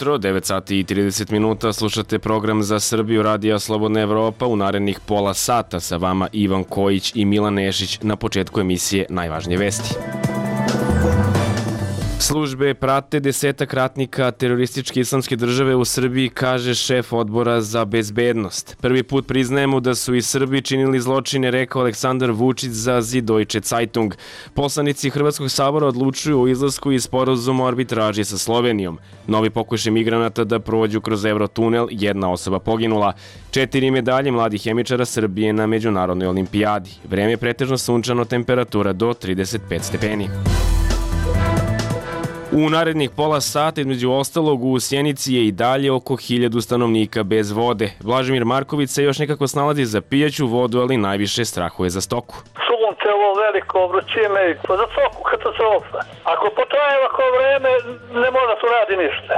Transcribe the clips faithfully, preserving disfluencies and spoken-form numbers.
jutro, devet sati i trideset minuta, slušate program za Srbiju Radija Slobodna Evropa. U narednih pola sata sa vama Ivan Kojić i Milan Nešić. Na početku emisije najvažnije vesti. Službe prate desetak ratnika terorističke islamske države u Srbiji, kaže šef odbora za bezbednost. Prvi put priznajemo da su i Srbi činili zločine, rekao Aleksandar Vučić za Süddeutsche Zeitung. Poslanici Hrvatskog sabora odlučuju o izlasku iz sporazuma o arbitraži sa Slovenijom. Novi pokušaj migranata da prođu kroz Eurotunel, jedna osoba poginula. Četiri medalje mladih hemičara Srbije na međunarodnoj olimpijadi. Vreme je pretežno sunčano, temperatura do trideset pet stepeni. U narednih pola sata, između ostalog, u Sjenici je i dalje oko hiljadu stanovnika bez vode. Blažimir Marković se još nekako snalazi za pijaću vodu, ali najviše strahuje za stoku. Sunce, ovo veliko, vrućine, pa za stoku katastrofa. Ako potraje ovako vreme, ne mora tu radi ništa.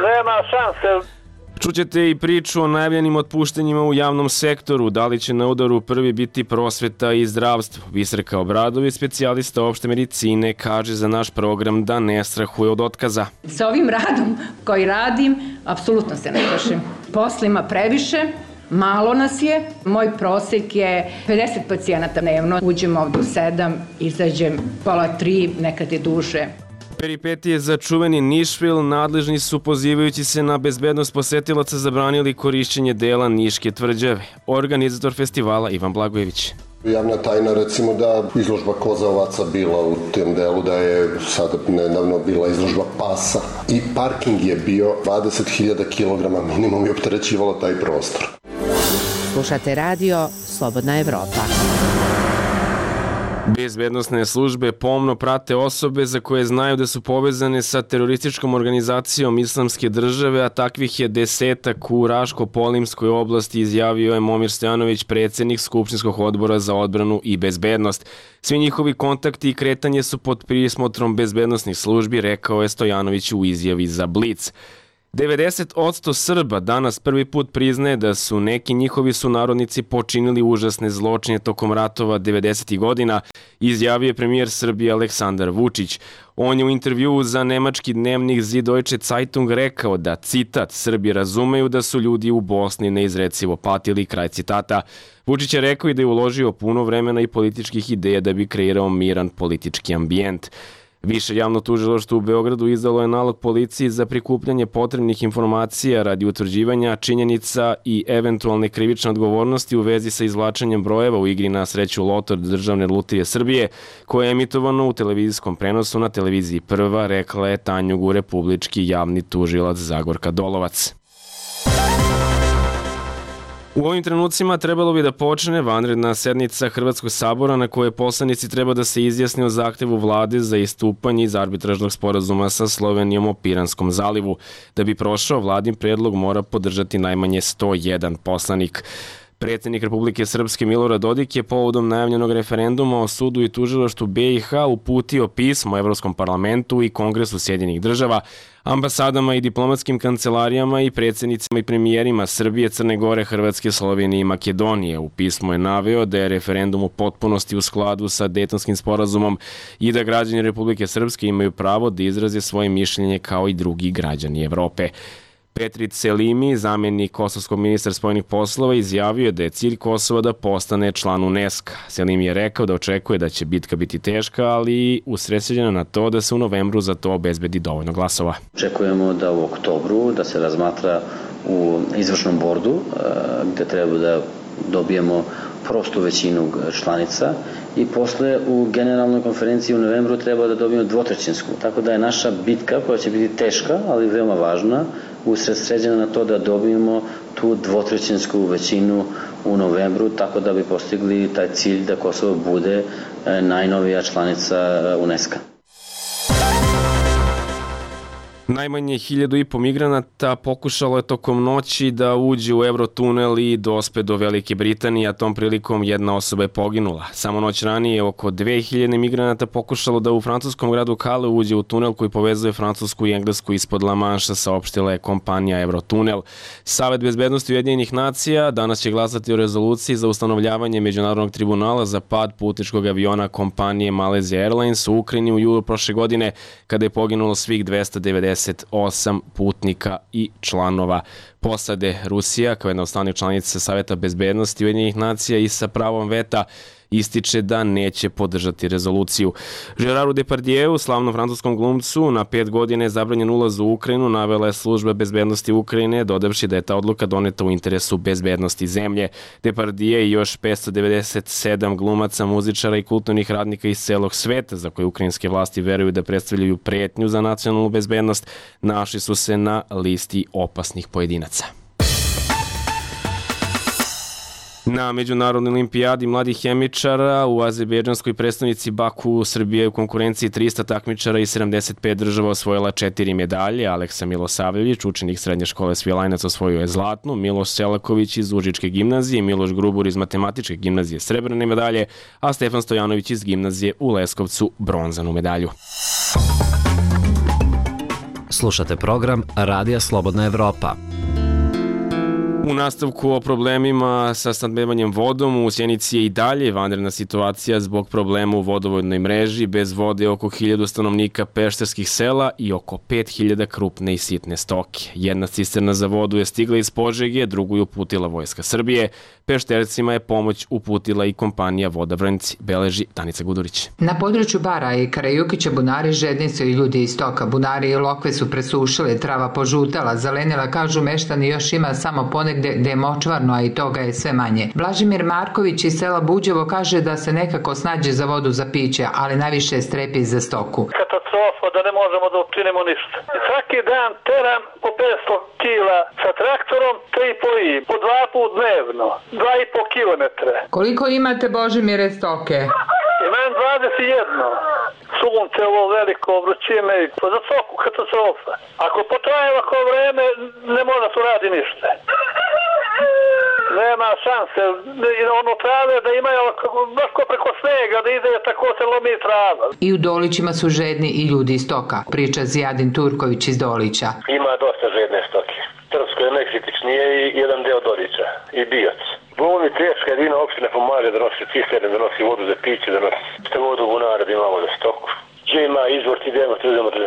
Nema šanse. Čućete i priču o najavljenim otpuštenjima u javnom sektoru. Da li će na udaru prvi biti prosveta i zdravstvo? Biserka Obradović, specijalista opšte medicine, kaže za naš program da ne strahuje od otkaza. Sa ovim radom koji radim, apsolutno se ne plašim. Posla ima previše, malo nas je. Moj prosek je pedeset pacijenata dnevno. Uđem ovdje u sedam, izađem pola tri, nekad je duže. Peripetije za čuveni Nišvil, nadležni su pozivajući se na bezbednost posetilaca zabranili korišćenje dela Niške tvrđave. Organizator festivala Ivan Blagojević. Javna tajna, recimo, da izložba koza ovaca bila u tem delu, da je sada nedavno bila izložba pasa i parking je bio dvadeset hiljada kilograma minimum i opterećivalo taj prostor. Slušate radio Slobodna Evropa. Bezbednosne službe pomno prate osobe za koje znaju da su povezane sa terorističkom organizacijom Islamske države, a takvih je desetak u Raško-Polimskoj oblasti, izjavio je Momir Stojanović, predsjednik Skupštinskog odbora za odbranu i bezbednost. Svi njihovi kontakti i kretanje su pod prismotrom bezbednosnih službi, rekao je Stojanović u izjavi za Blic. devedeset posto Srba danas prvi put priznaje da su neki njihovi sunarodnici počinili užasne zločine tokom ratova devedesetih godina, izjavio je premijer Srbije Aleksandar Vučić. On je u intervjuu za nemački dnevnik Süddeutsche Zeitung rekao da, citat, Srbi razumeju da su ljudi u Bosni neizrecivo patili, kraj citata. Vučić je rekao i da je uložio puno vremena i političkih ideja da bi kreirao miran politički ambijent. Više javno tužilaštvo u Beogradu izdalo je nalog policiji za prikupljanje potrebnih informacija radi utvrđivanja činjenica i eventualne krivične odgovornosti u vezi sa izvlačenjem brojeva u igri na sreću Loto Državne lutrije Srbije, koje je emitovano u televizijskom prenosu na televiziji Prva, rekla je Tanjugu republički javni tužilac Zagorka Dolovac. U ovim trenucima trebalo bi da počne vanredna sednica Hrvatskog sabora na kojoj poslanici treba da se izjasne o zahtevu vlade za istupanje iz arbitražnog sporazuma sa Slovenijom o Piranskom zalivu. Da bi prošao, vladin predlog mora podržati najmanje sto jedan poslanik. Predsjednik Republike Srpske Milorad Dodik je povodom najavljenog referenduma o sudu i tužilaštvu be i ha uputio pismo Evropskom parlamentu i Kongresu Sjedinjenih država, ambasadama i diplomatskim kancelarijama i predsjednicima i premijerima Srbije, Crne Gore, Hrvatske, Slovenije i Makedonije. U pismu je naveo da je referendum u potpunosti u skladu sa Dejtonskim sporazumom i da građani Republike Srpske imaju pravo da izraze svoje mišljenje kao i drugi građani Evrope. Petrit Selimi, zamjenik kosovskog ministra spoljnih poslova, izjavio je da je cilj Kosova da postane član UNESCO. Selimi je rekao da očekuje da će bitka biti teška, ali usredsređena na to da se u novembru za to obezbedi dovoljno glasova. Očekujemo da u oktobru da se razmatra u izvršnom bordu gde treba da dobijemo prostu većinu članica i posle u generalnoj konferenciji u novembru treba da dobijemo dvotrećinsku. Tako da je naša bitka, koja će biti teška, ali veoma važna, usredsređena na to da dobijemo tu dvotrećinsku većinu u novembru, tako da bi postigli taj cilj da Kosovo bude najnovija članica UNESCO. Najmanje hiljadu i po migranata pokušalo je tokom noći da uđe u Eurotunel i dospe do Velike Britanije, a tom prilikom jedna osoba je poginula. Samo noć ranije oko dve hiljade migranata pokušalo da u francuskom gradu Calais uđe u tunel koji povezuje Francusku i Englesku ispod La Manša, saopštila je kompanija Eurotunel. Savet bezbednosti Ujedinjenih nacija danas će glasati o rezoluciji za ustanovljavanje Međunarodnog tribunala za pad putničkog aviona kompanije Malaysia Airlines u Ukrajini u julu prošle godine, kada je poginulo svih dvesta devedeset pedeset osam putnika i članova posade. Rusija, kao jedna od stalnih članica Saveta bezbednosti Ujedinjenih nacija i sa pravom veta, ističe da neće podržati rezoluciju. Geraru Depardieu, slavnom francuskom glumcu, na pet godine je zabranjen ulaz u Ukrajinu, navela je služba bezbednosti Ukrajine, dodavši da je ta odluka doneta u interesu bezbednosti zemlje. Depardieu i još petsto devedeset sedam glumaca, muzičara i kulturnih radnika iz celog sveta, za koje ukrajinske vlasti veruju da predstavljaju pretnju za nacionalnu bezbednost, našli su se na listi opasnih pojedinaca. Na Međunarodnoj olimpijadi mladih hemičara u azerbejdžanskoj prestonici Baku Srbija je u konkurenciji trista takmičara i sedamdeset pet država osvojila četiri medalje. Aleksa Milosavljević, učenik srednje škole Svilajnac, osvojio je zlatnu, Miloš Selaković iz Užičke gimnazije, Miloš Grubur iz Matematičke gimnazije srebrne medalje, a Stefan Stojanović iz gimnazije u Leskovcu bronzanu medalju. Slušate program Radija Slobodna Evropa. U nastavku o problemima sa snabdevanjem vodom, u Sjenici je i dalje vanredna situacija zbog problema u vodovodnoj mreži. Bez vode oko hiljadu stanovnika pešterskih sela i oko pet hiljada krupne i sitne stoke. Jedna cisterna za vodu je stigla iz Požege, drugu je uputila Vojska Srbije. Peštercima je pomoć uputila i kompanija Voda Vrnjci, beleži Danica Gudurić. Na području Bara i Karajukića bunari žedni su i ljudi iz stoka. Bunari i lokve su presušile, trava požutala, zelenila, kažu meštani, još ima samo ponegde gde je močvarno, a i toga je sve manje. Blažimir Marković iz sela Buđevo kaže da se nekako snađe za vodu za piće, ali najviše strepi za stoku. Katastrofa da ne možemo da učinimo ništa. Svaki dan teram po petsto kila sa traktorom, tri i po i, po dva put dnevno, dva i po kilometre. Koliko imate, Božimire, stoke? Imam dvadeset jedno. Sunce, ovo veliko, vrućine, za svaku katastrofa. Ako potraje ovako vreme, ne može se radi ništa. Nema šanse, ono trave da imaju baš ko preko snega, da ide tako se lomi trava. I u Dolićima su žedni i ljudi iz stoka, priča Zijadin Turković iz Dolića. Ima dosta žedne stoke. Trpsko je najkritičnije i jedan deo Dolića i Bijac. Bolni teška jedina opština pomaže da nosi cisterne, da nosi vodu za piće, da nosi što vodu bunara da imamo za stoku. Gdje ima izvor ti idemo, tu idemo da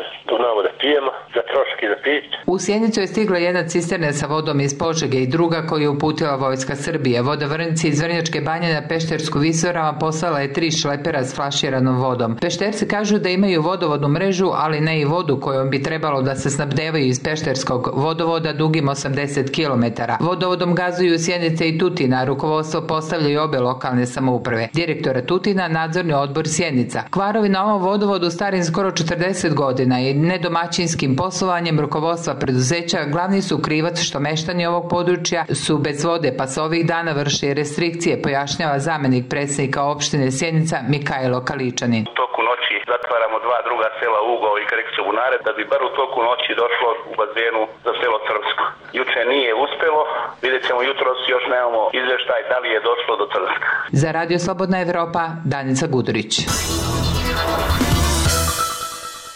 znamo da pijemo, za troški za piće. U Sjenicu je stigla jedna cisterna sa vodom iz Požege i druga koju je uputila Vojska Srbije. Voda Vrnjci iz Vrnjačke banje na Peštersku visoravan poslala je tri šlepera s flaširanom vodom. Pešterci kažu da imaju vodovodnu mrežu, ali ne i vodu kojom bi trebalo da se snabdevaju iz Pešterskog vodovoda dugim osamdeset kilometara. Vodovodom gazuju Sjenice i Tutina, rukovodstvo postavljaju obe lokalne samouprave. Direktora Tutina, nadzorni odbor Sjenica. Kvarovi na ovom vodovodu starim skoro četrdeset godina i nedomaćinskim poslovanjem rukovodstva preduzeća glavni su krivac što meštani ovog područja su bez vode, pa se ovih dana vrše restrikcije, pojašnjava zamenik predsjednika opštine Sjenica Mikajlo Kaličanin. U toku noći zatvaramo dva druga sela Ugao i Karikića bunare da bi bar u toku noći došlo u bazenu za selo Crvsko. Juče nije uspelo, vidjet ćemo jutros, još nemamo izveštaj da li je došlo do Crvska. Za Radio Slobodna Evropa, Danica Gudurić.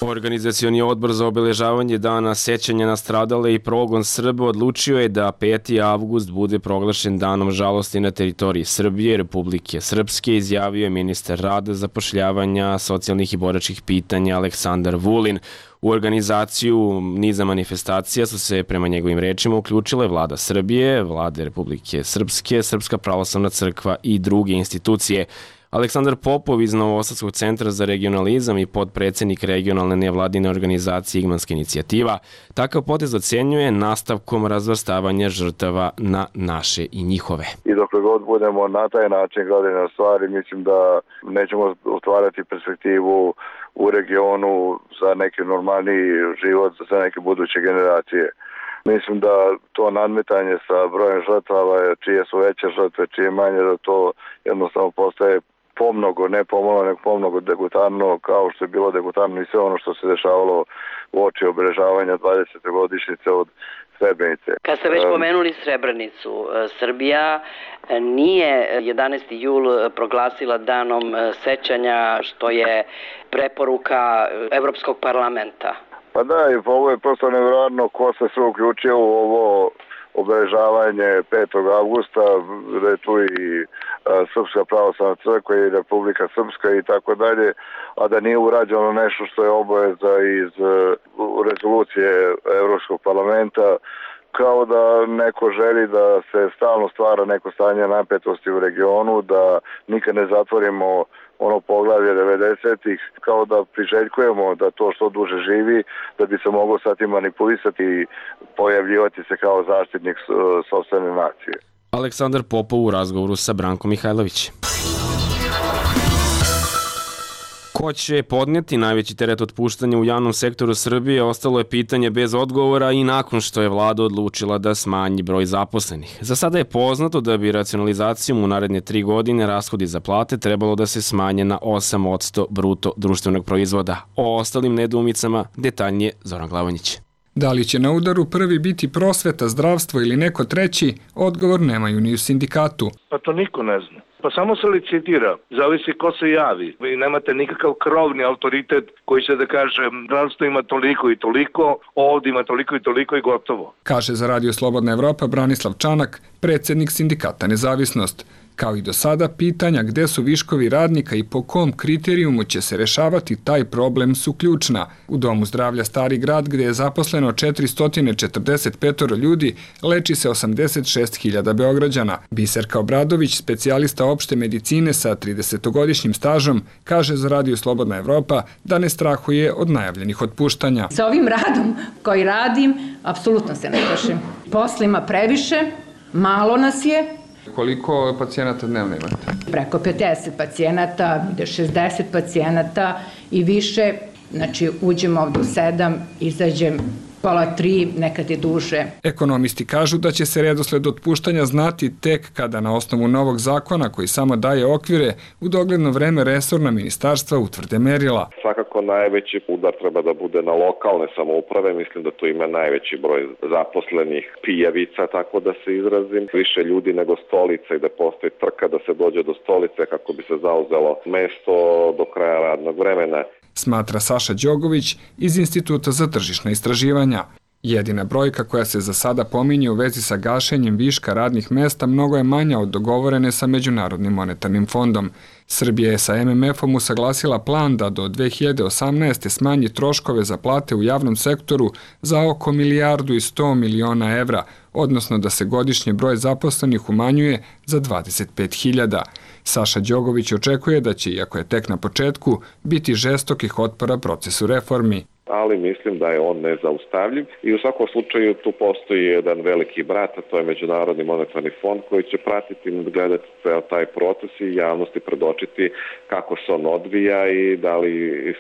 Organizacioni odbor za obeležavanje dana sećanja na stradale i progon Srba odlučio je da peti avgust bude proglašen danom žalosti na teritoriji Srbije i Republike Srpske, izjavio je ministar rada, zapošljavanja, socijalnih i boračkih pitanja Aleksandar Vulin. U organizaciju niza manifestacija su se prema njegovim rečima uključile Vlada Srbije, Vlade Republike Srpske, Srpska pravoslavna crkva i druge institucije. Aleksandar Popov iz Novosadskog centra za regionalizam i podpredsednik regionalne nevladine organizacije Igmanska inicijativa takav potez ocenjuje nastavkom razvrstavanja žrtava na naše i njihove. I dok god budemo na taj način gledali na stvari, mislim da nećemo otvarati perspektivu u regionu za neki normalni život, za neke buduće generacije. Mislim da to nadmetanje sa brojem žrtava, čije su veće žrtve, čije manje, da to jednostavno postaje pomnogo, ne pomalo, nego pomnogo degutarno, kao što je bilo degutarno i sve ono što se dešavalo u oči obeležavanja dvadesete godišnjice od Srebrenice. Kad ste već pomenuli Srebrenicu, Srbija nije jedanaesti jul proglasila danom sećanja, što je preporuka Evropskog parlamenta. Pa da, i ovo je prosto nevjerojatno ko se sve uključio u ovo obeležavanje petog avgusta, da je tu i Srpska pravoslavna crkva i Republika Srpska i tako dalje, a da nije urađeno nešto što je obaveza iz rezolucije Evropskog parlamenta, kao da neko želi da se stalno stvara neko stanje napetosti u regionu, da nikad ne zatvorimo ono poglavlje devedesetih, kao da priželjkujemo da to što duže živi, da bi se moglo sad i manipulisati i pojavljivati se kao zaštitnik sopstvene nacije. Aleksandar Popov u razgovoru sa Brankom Mihajlovićem. Ko će podnijeti najveći teret otpuštanja u javnom sektoru Srbije ostalo je pitanje bez odgovora i nakon što je vlada odlučila da smanji broj zaposlenih. Za sada je poznato da bi racionalizacijom u naredne tri godine rashodi za plate trebalo da se smanje na osam posto bruto društvenog proizvoda. O ostalim nedoumicama detaljnije Zoran Glavonjić. Da li će na udaru prvi biti prosveta, zdravstvo ili neko treći, odgovor nemaju ni u sindikatu. Pa to niko ne zna. Pa samo se licitira, zavisi ko se javi. Vi nemate nikakav krovni autoritet koji će da kaže zdravstvo ima toliko i toliko, ovdje ima toliko i toliko i gotovo. Kaže za Radio Slobodna Evropa Branislav Čanak, predsjednik sindikata Nezavisnost. Kao i do sada, pitanja gde su viškovi radnika i po kom kriterijumu će se rešavati taj problem su ključna. U Domu zdravlja Stari grad, gde je zaposleno četiristo četrdeset pet ljudi, leči se osamdeset šest hiljada Beograđana. Biserka Obradović, specijalista opšte medicine sa tridesetogodišnjim stažom, kaže za Radio Slobodna Evropa da ne strahuje od najavljenih otpuštanja. Sa ovim radom koji radim, apsolutno se ne plašim. Posla ima previše, malo nas je. Koliko pacijenata dnevno imate? Preko pedeset pacijenata, ide šezdeset pacijenata i više. Znači, uđemo ovdje u sedam, izađem pola tri, nekad je duže. Ekonomisti kažu da će se redosled otpuštanja znati tek kada na osnovu novog zakona koji samo daje okvire u dogledno vreme resorna ministarstva utvrde merila. Svakako najveći udar treba da bude na lokalne samouprave, mislim da tu ima najveći broj zaposlenih pijavica, tako da se izrazim, više ljudi nego stolica i da postoji trka da se dođe do stolice kako bi se zauzelo mesto do kraja radnog vremena. Smatra Saša Đogović iz Instituta za tržišna istraživanja. Jedina brojka koja se za sada pominje u vezi sa gašenjem viška radnih mesta mnogo je manja od dogovorene sa Međunarodnim monetarnim fondom. Srbija je sa M M F-om usaglasila plan da do dve hiljade osamnaeste. smanji troškove za plate u javnom sektoru za oko milijardu i sto miliona evra, odnosno da se godišnji broj zaposlenih umanjuje za dvadeset pet hiljada. Saša Đogović očekuje da će, iako je tek na početku, biti žestokih otpora procesu reformi. Ali mislim da je on nezaustavljiv i u svakom slučaju tu postoji jedan veliki brat, a to je Međunarodni monetarni fond koji će pratiti i gledati ceo taj proces i javnosti predočiti kako se on odvija i da li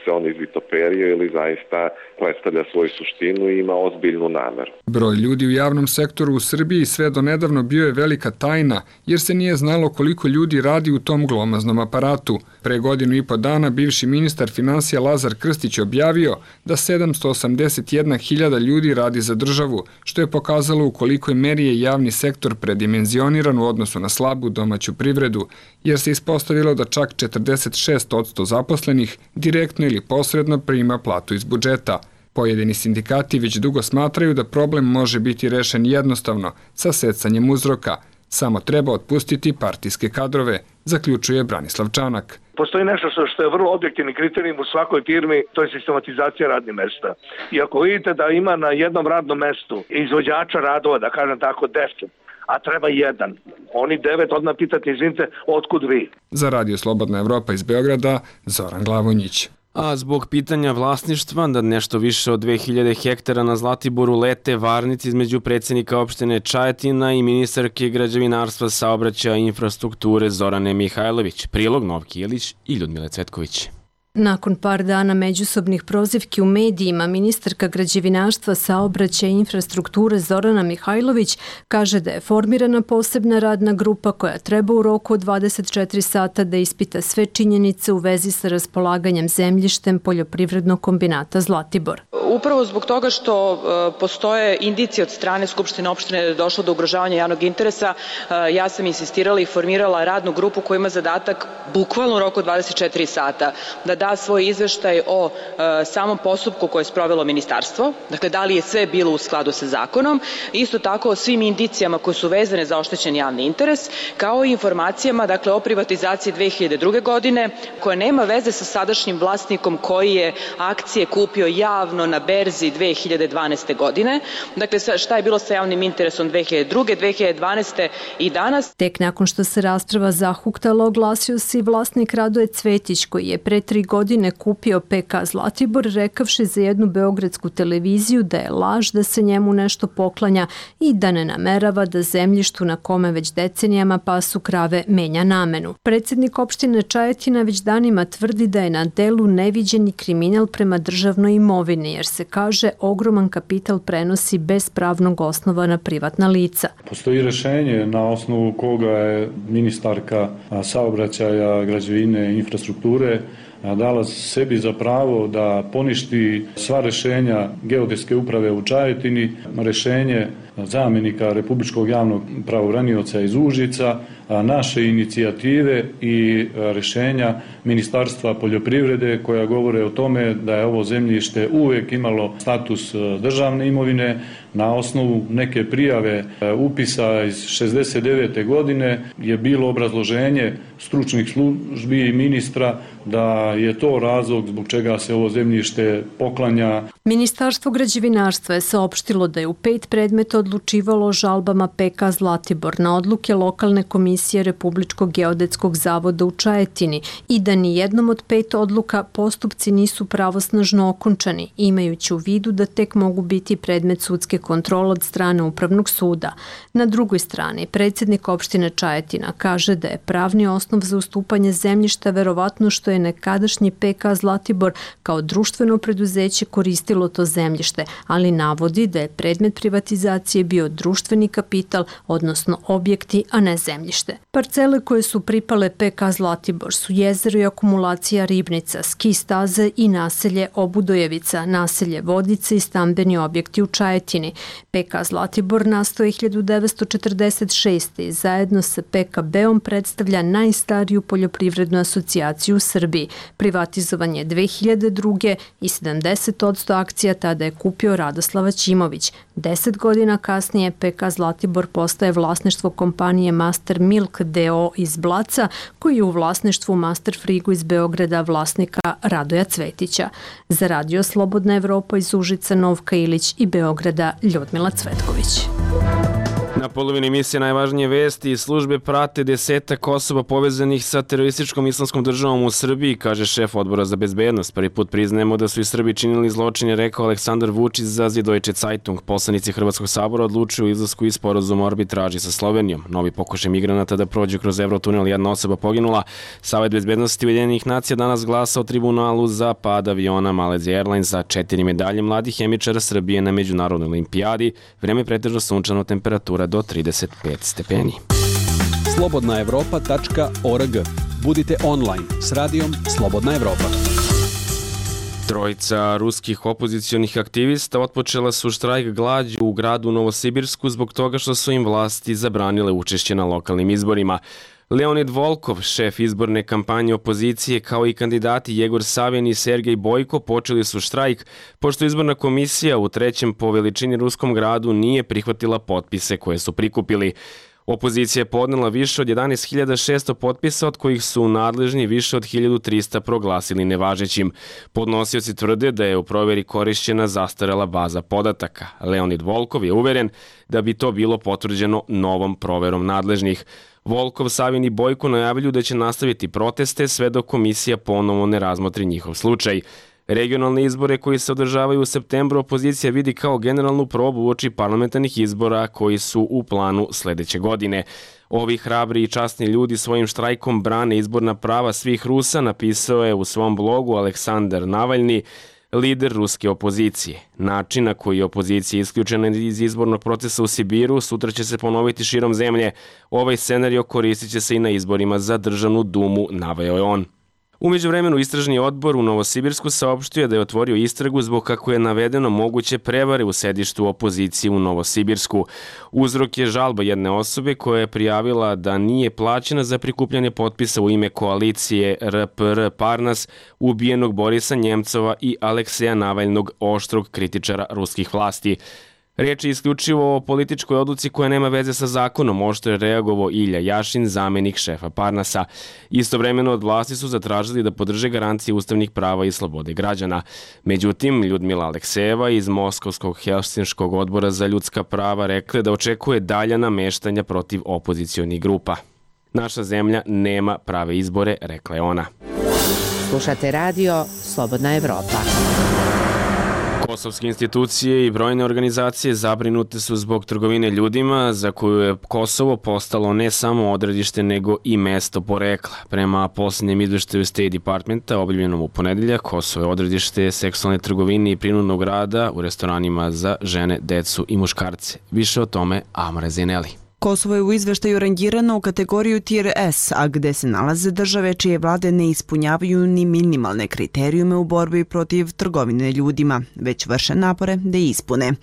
se on izvitoperio ili zaista predstavlja svoju suštinu i ima ozbiljnu nameru. Broj ljudi u javnom sektoru u Srbiji sve do nedavno bio je velika tajna jer se nije znalo koliko ljudi radi u tom glomaznom aparatu. Pre godinu i po dana bivši ministar finansija Lazar Krstić objavio da sedamsto osamdeset jedna hiljada ljudi radi za državu, što je pokazalo u kolikoj meri je javni sektor predimenzioniran u odnosu na slabu domaću privredu, jer se ispostavilo da čak četrdeset šest posto zaposlenih direktno ili posredno prima platu iz budžeta. Pojedini sindikati već dugo smatraju da problem može biti rešen jednostavno, sa secanjem uzroka. Samo treba otpustiti partijske kadrove, zaključuje Branislav Čanak. Postoji nešto što je vrlo objektivni kriterijum u svakoj firmi, to je sistematizacija radnih mesta. I ako vidite da ima na jednom radnom mestu izvođača radova, da kažem tako, deset, a treba jedan, oni devet odmah pitati, izvinite, otkud vi? Za Radio Slobodna Evropa iz Beograda, Zoran Glavonjić. A zbog pitanja vlasništva da nešto više od dve hiljade hektara na Zlatiboru lete varnici između predsjednika opštine Čajetina i ministarke građevinarstva, saobraćaja i infrastrukture Zorane Mihajlović. Prilog Novki Jelić i Ljudmile Cvetković. Nakon par dana međusobnih prozivki u medijima, ministarka građevinarstva, saobraćaja i infrastrukture Zorana Mihajlović kaže da je formirana posebna radna grupa koja treba u roku od dvadeset četiri sata da ispita sve činjenice u vezi sa raspolaganjem zemljištem poljoprivrednog kombinata Zlatibor. Upravo zbog toga što postoje indicije od strane Skupštine opštine da je došlo do ugrožavanja javnog interesa, ja sam insistirala i formirala radnu grupu koja ima zadatak bukvalno u roku dvadeset četiri sata da da svoj izveštaj o e, samom postupku koje je sprovelo ministarstvo, dakle da li je sve bilo u skladu sa zakonom, isto tako o svim indicijama koje su vezane za oštećen javni interes, kao i informacijama dakle o privatizaciji dve hiljade druge godine koja nema veze sa sadašnjim vlasnikom koji je akcije kupio javno na berzi dve hiljade dvanaeste godine. Dakle, šta je bilo sa javnim interesom dve hiljade druge, dve hiljade dvanaeste i danas. Tek nakon što se rasprava zahuktala, oglasio se i vlasnik Radoje Cvetić, koji je pre tri godine kupio P K Zlatibor, rekavši za jednu beogradsku televiziju da je laž da se njemu nešto poklanja i da ne namerava da zemljištu na kome već decenijama pasu krave menja namenu. Predsjednik opštine Čajetina već danima tvrdi da je na delu neviđeni kriminal prema državnoj imovini, jer se kaže ogroman kapital prenosi bez pravnog osnova na privatna lica. Postoji rešenje na osnovu koga je ministarka saobraćaja, građevine i infrastrukture dala sebi za pravo da poništi sva rešenja geodetske uprave u Čajetini, rešenje zamenika Republičkog javnog pravobranioca iz Užica, naše inicijative i rešenja Ministarstva poljoprivrede koja govore o tome da je ovo zemljište uvek imalo status državne imovine. Na osnovu neke prijave upisa iz šezdeset devete godine je bilo obrazloženje stručnih službi i ministra da je to razlog zbog čega se ovo zemljište poklanja. Ministarstvo građevinarstva je saopštilo da je u pet predmeta odlučivalo o žalbama P K Zlatibor na odluke lokalne komisije Republičkog geodetskog zavoda u Čajetini i da ni jednom od pet odluka postupci nisu pravosnažno okončani, imajući u vidu da tek mogu biti predmet sudske kontrole od strane Upravnog suda. Na drugoj strani, predsjednik opštine Čajetina kaže da je pravni osnov za ustupanje zemljišta verovatno što je nekadašnji P K Zlatibor kao društveno preduzeće koristilo to zemljište, ali navodi da je predmet privatizacije bio društveni kapital, odnosno objekti, a ne zemljište. Parcele koje su pripale P K Zlatibor su jezero i akumulacija Ribnica, ski staze i naselje Obudojevica, naselje Vodice i stambeni objekti u Čajetini. P K Zlatibor nastao je hiljadu devetsto četrdeset šeste. i zajedno sa P K B-om predstavlja najstariju poljoprivrednu asocijaciju u Srbiji. Privatizovan je dve hiljade druge. i sedamdeset posto akcija tada je kupio Radoslava Ćimović. Deset godina kasnije P K Zlatibor postaje vlasništvo kompanije Master Milk D O iz Blaca, koji je u vlasništvu Master Frigo iz Beograda vlasnika Radoja Cvetića. Za Radio Slobodna Evropa iz Užica, Novka Ilić i Beograda Ljudmila Cvetković. Na polovini emisije najvažnije vesti službe prate desetak osoba povezanih sa terorističkom islamskom državom u Srbiji, kaže šef odbora za bezbednost. Prvi put priznajemo da su i Srbi činili zločine, rekao Aleksandar Vučić za Deutsche Zeitung. Poslanici Hrvatskog sabora odlučuju o izlasku iz sporazuma o arbitraži sa Slovenijom. Novi pokušaj migranata da prođu kroz Eurotunel, jedna osoba poginula. Savet bezbednosti Ujedinjenih nacija danas glasa o tribunalu za pad aviona Malaysia Airlines za četiri medalje mladih hemičara Srbije na međunarodnoj olimpijadi. Vreme pretežno sunčano, temperatura do trideset pet stepeni. slobodna evropa tačka org. Budite online s radijom Slobodna Evropa. Trojica ruskih opozicionih aktivista otpočela su štrajk glađu u gradu Novosibirsku zbog toga što su im vlasti zabranile učešće na lokalnim izborima. Leonid Volkov, šef izborne kampanje opozicije, kao i kandidati Jegor Savin i Sergej Bojko počeli su štrajk, pošto izborna komisija u trećem po veličini ruskom gradu nije prihvatila potpise koje su prikupili. Opozicija je podnela više od jedanaest hiljada šesto potpisa, od kojih su nadležni više od hiljadu trista proglasili nevažećim. Podnosioci tvrde da je u proveri korišćena zastarela baza podataka. Leonid Volkov je uveren da bi to bilo potvrđeno novom proverom nadležnih. Volkov, Savin i Bojko najavljuju da će nastaviti proteste sve dok komisija ponovo ne razmotri njihov slučaj. Regionalne izbore koji se održavaju u septembru opozicija vidi kao generalnu probu uoči parlamentarnih izbora koji su u planu sledeće godine. Ovi hrabri i časni ljudi svojim štrajkom brane izborna prava svih Rusa, napisao je u svom blogu Aleksandar Navalni, lider ruske opozicije. Način na koji je opozicija isključena iz izbornog procesa u Sibiru sutra će se ponoviti širom zemlje. Ovaj scenario koristit će se i na izborima za državnu dumu, naveo je on. U međuvremenu istražni odbor u Novosibirsku saopštio da je otvorio istragu zbog kako je navedeno moguće prevare u sedištu opozicije u Novosibirsku. Uzrok je žalba jedne osobe koja je prijavila da nije plaćena za prikupljanje potpisa u ime koalicije R P R Parnas ubijenog Borisa Njemcova i Alekseja Navalnog, oštrog kritičara ruskih vlasti. Riječ je isključivo o političkoj odluci koja nema veze sa zakonom, oštro je reagovao Ilja Jašin, zamenik šefa Parnasa. Istovremeno od vlasti su zatražili da podrže garancije ustavnih prava i slobode građana. Međutim, Ljudmila Aleksejeva iz Moskovskog Helsinškog odbora za ljudska prava rekla da očekuje dalja nameštanja protiv opozicionih grupa. Naša zemlja nema prave izbore, rekla je ona. Slušate radio Slobodna Evropa. Kosovske institucije i brojne organizacije zabrinute su zbog trgovine ljudima za koju je Kosovo postalo ne samo odredište nego i mesto porekla. Prema posljednjem izveštaju State Departmenta objavljenom u ponedeljak, Kosovo je odredište seksualne trgovine i prinudnog rada u restoranima za žene, decu i muškarce. Više o tome Amore Zineli. Kosovo je u izveštaju rangirano u kategoriju Tier S, a gde se nalaze države čije vlade ne ispunjavaju ni minimalne kriterijume u borbi protiv trgovine ljudima, već vrše napore da ispune.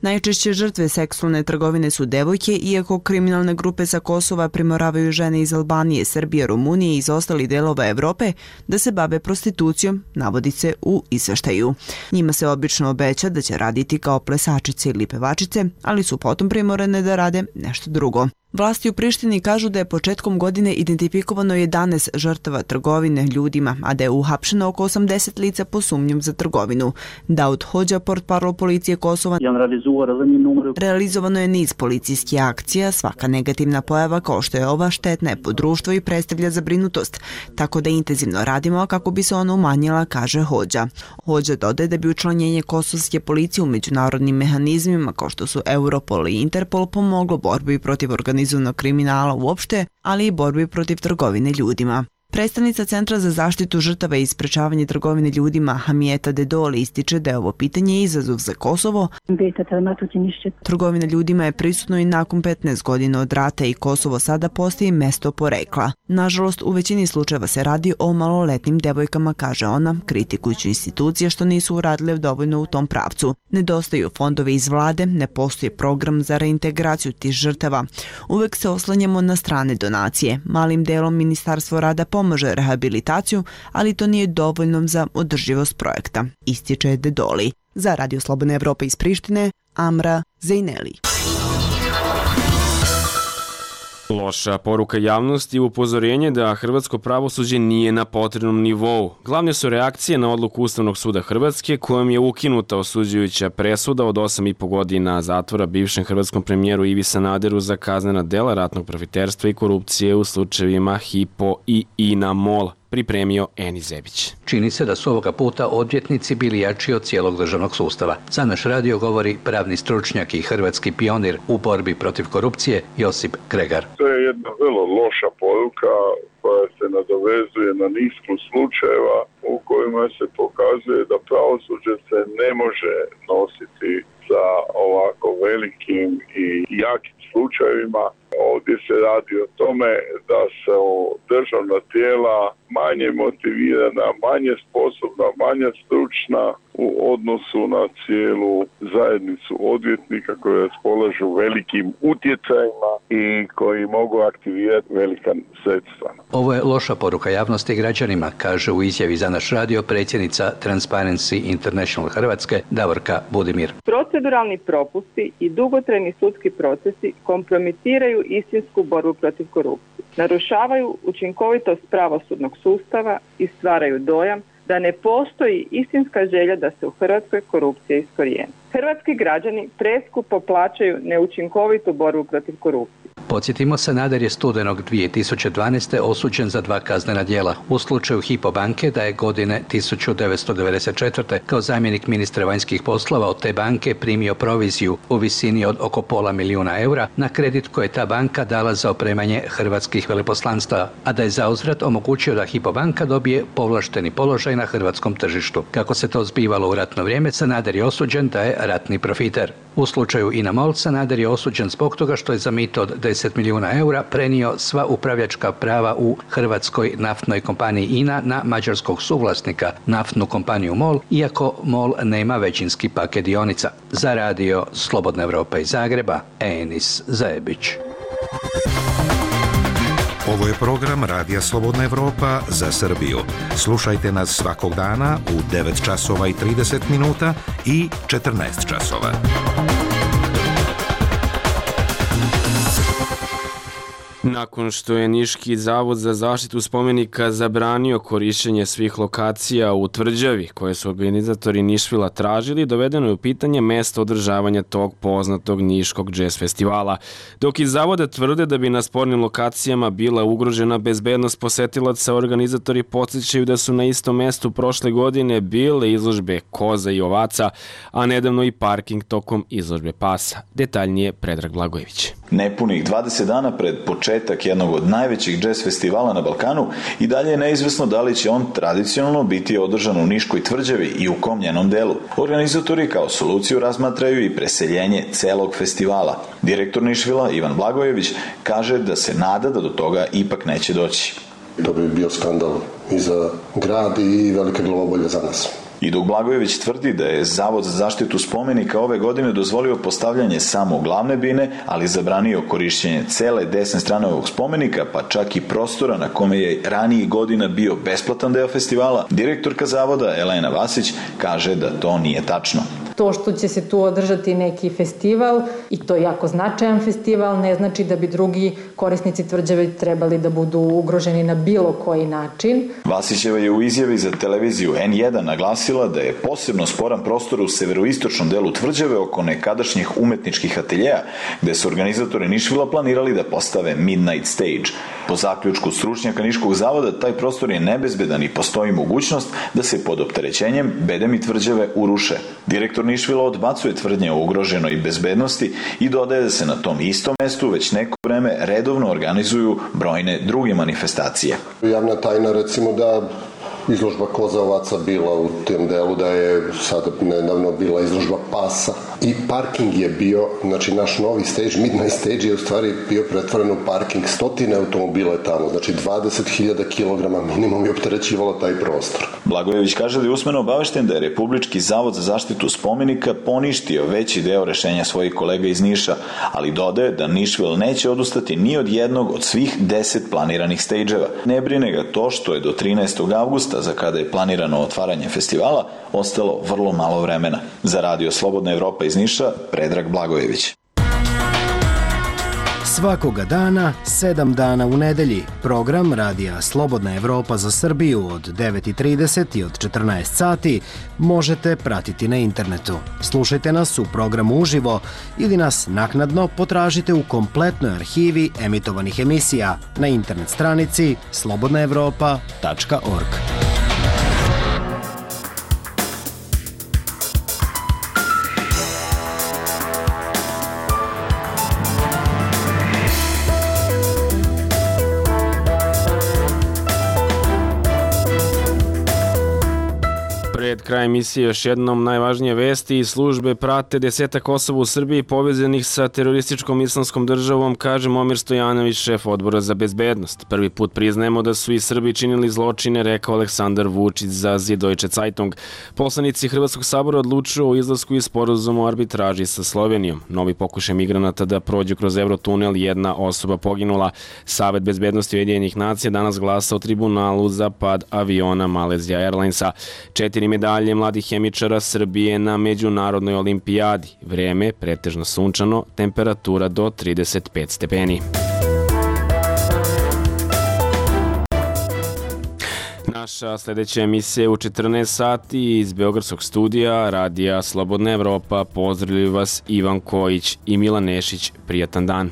Najčešće žrtve seksualne trgovine su devojke, iako kriminalne grupe sa Kosova primoravaju žene iz Albanije, Srbije, Rumunije i iz ostalih delova Evrope da se bave prostitucijom, navodi se u izveštaju. Njima se obično obeća da će raditi kao plesačice ili pevačice, ali su potom primorane da rade nešto drugo. Vlasti u Prištini kažu da je početkom godine identifikovano jedanaest žrtava trgovine ljudima, a da je uhapšeno oko osamdeset lica po sumnjom za trgovinu. Daud Hođa, portparol policije Kosova, realizovano je niz policijskih akcija, svaka negativna pojava kao što je ova štetna je po društvu i predstavlja zabrinutost, tako da intenzivno radimo kako bi se ona umanjila, kaže Hođa. Hođa dodaje da bi učlanjenje kosovske policije u međunarodnim mehanizmima kao što su Europol i Interpol pomoglo borbi protiv organizacije kriminala uopšte, ali i borbi protiv trgovine ljudima. Predstavnica Centra za zaštitu žrtava i sprečavanje trgovine ljudima Hamijeta Dedoli ističe da je ovo pitanje izazov za Kosovo. Trgovina ljudima je prisutno i nakon petnaest godina od rata i Kosovo sada postaje mesto porekla. Nažalost, u većini slučajeva se radi o maloletnim devojkama, kaže ona, kritikujući institucije što nisu uradile dovoljno u tom pravcu. Nedostaju fondove iz vlade, ne postoji program za reintegraciju tih žrtava. Uvek se oslanjamo na strane donacije. Malim delom Ministarstvo rada pomaže rehabilitaciju, ali to nije dovoljno za održivost projekta, ističe Dedoli. Za Radio Slobodna Evropa iz Prištine, Amra Zejneli. Loša poruka javnosti i upozorenje da hrvatsko pravosuđe nije na potrebnom nivou. Glavne su reakcije na odluku Ustavnog suda Hrvatske kojom je ukinuta osuđujuća presuda od osam i po godina zatvora bivšem hrvatskom premijeru Ivi Sanaderu za kaznena dela ratnog profiterstva i korupcije u slučajevima Hypo i INA MOL, pripremio Eni Zebić. Čini se da su ovoga puta odvjetnici bili jači od cijelog državnog sustava. Za naš radio govori pravni stručnjak i hrvatski pionir u borbi protiv korupcije Josip Kregar. To je jedna vrlo loša poruka koja se nadovezuje na nizu slučajeva u kojima se pokazuje da pravosuđe se ne može nositi sa ovako velikim i jakim slučajevima. Ovdje se radi o tome da se državna tijela manje motivirana, manje sposobna, manje stručna u odnosu na cijelu zajednicu odvjetnika koji raspolažu velikim utjecajima i koji mogu aktivirati velika sredstva. Ovo je loša poruka javnosti i građanima, kaže u izjavi za naš radio predsjednica Transparency International Hrvatske Davorka Budimir. Proceduralni propusti i dugotrajni sudski procesi kompromitiraju istinsku borbu protiv korupcije, narušavaju učinkovitost pravosudnog sustava i stvaraju dojam da ne postoji istinska želja da se u Hrvatskoj korupcija iskorijeni. Hrvatski građani preskupo plaćaju neučinkovitu borbu protiv korupcije. Podsjetimo, Sanader je studenog dvije tisuće dvanaeste. osuđen za dva kaznena djela. U slučaju Hypo banke da je godine tisuću devetsto devedeset četvrte. kao zamjenik ministra vanjskih poslova od te banke primio proviziju u visini od oko pola milijuna eura na kredit koje je ta banka dala za opremanje hrvatskih veleposlanstava, a da je zauzvrat omogućio da Hypo banka dobije povlašteni položaj na hrvatskom tržištu. Kako se to zbivalo u ratno vrijeme, Sanader je osuđen da je ratni profiter. U slučaju Ina Mol, Sanader je osuđen zbog toga što je za mito od deset milijuna eura prenio sva upravljačka prava u hrvatskoj naftnoj kompaniji Ina na mađarskog suvlasnika, naftnu kompaniju MOL, iako MOL nema većinski paket dionica. Za radio Slobodna Evropa iz Zagreba, Enis Zajebić. Ovo je program Radija Slobodna Evropa za Srbiju. Slušajte nas svakog dana u devet časova i trideset minuta i četrnaest časova. Nakon što je Niški zavod za zaštitu spomenika zabranio korišćenje svih lokacija u tvrđavi koje su organizatori Nišvila tražili, dovedeno je u pitanje mesto održavanja tog poznatog Niškog džez festivala. Dok iz zavoda tvrde da bi na spornim lokacijama bila ugrožena bezbednost posetilaca, organizatori podsjećaju da su na istom mestu prošle godine bile izložbe koza i ovaca, a nedavno i parking tokom izložbe pasa. Detaljnije Predrag Blagojević. Nepunih dvadeset dana pred početak jednog od najvećih džez festivala na Balkanu i dalje je neizvesno da li će on tradicionalno biti održan u Niškoj tvrđavi i u kom njenom delu. Organizatori kao soluciju razmatraju i preseljenje celog festivala. Direktor Nišvila Ivan Blagojević kaže da se nada da do toga ipak neće doći. To bi bio skandal i za grad i velike glavobolje za nas. I dok Blagojević tvrdi da je Zavod za zaštitu spomenika ove godine dozvolio postavljanje samo glavne bine, ali zabranio korišćenje cele desne strane ovog spomenika, pa čak i prostora na kome je ranijih godina bio besplatan deo festivala, direktorka Zavoda Elena Vasić kaže da to nije tačno. To što će se tu održati neki festival, i to je jako značajan festival, ne znači da bi drugi korisnici tvrđave trebali da budu ugroženi na bilo koji način. Vasićeva je u izjavi za televiziju N jedan naglasila da je posebno sporan prostor u severoistočnom delu tvrđave oko nekadašnjih umetničkih ateljeja, gde su organizatori Nišvila planirali da postave Midnight Stage. Po zaključku stručnjaka Niškog zavoda, taj prostor je nebezbedan i postoji mogućnost da se pod opterećenjem bedemi tvrđave uruše. Direktor Nišvila odbacuje tvrdnje o ugroženoj bezbednosti i dodaje da se na tom istom mestu već neko vreme redovno organizuju brojne druge manifestacije. Javna tajna recimo da izložba koza ovaca bila u tem delu, da je sada nedavno bila izložba pasa i parking je bio, znači naš novi stage, Midnight Stage je u stvari bio pretvoren u parking, stotine automobile tamo, znači dvadeset hiljada kilograma minimum je opterećivalo taj prostor. Blagojević kaže da je usmeno obavešten da je Republički zavod za zaštitu spomenika poništio veći deo rešenja svojih kolega iz Niša, ali dodaje da Nišvil neće odustati ni od jednog od svih deset planiranih stage-eva. Ne brine ga to što je do trinaestog avgusta, za kada je planirano otvaranje festivala, ostalo vrlo malo vremena. Za radio Slobodna Evropa iz Niša, Predrag Blagojević. Svakoga dana, sedam dana u nedelji, program Radija Slobodna Evropa za Srbiju od devet i trideset i od četrnaest sati možete pratiti na internetu. Slušajte nas u programu uživo ili nas naknadno potražite u kompletnoj arhivi emitovanih emisija na internet stranici slobodna evropa tačka org. Pred kraj emisije još jednom najvažnije vesti. Službe prate desetak osoba u Srbiji povezanih sa terorističkom islamskom državom, kaže Momir Stojanović, šef odbora za bezbednost. Prvi put priznajemo da su i Srbi činili zločine, rekao Aleksandar Vučić za Süddeutsche Zeitung. Poslanici Hrvatskog sabora odlučuju o izlasku iz sporazuma o arbitraži sa Slovenijom. Novi pokušaj migranata da prođu kroz Eurotunel, jedna osoba poginula. Savet bezbednosti Ujedinjenih nacija danas glasa o tribunalu za pad aviona Malaysia Airlinesa. Četiri medalje mladih hemičara Srbije na Međunarodnoj olimpijadi. Vreme pretežno sunčano, temperatura do trideset pet stepeni. Naša sljedeća emisija je u četrnaest sati iz Beogradskog studija Radija Slobodna Evropa. Pozdravljaju vas Ivan Kojić i Milan Nešić. Prijatan dan.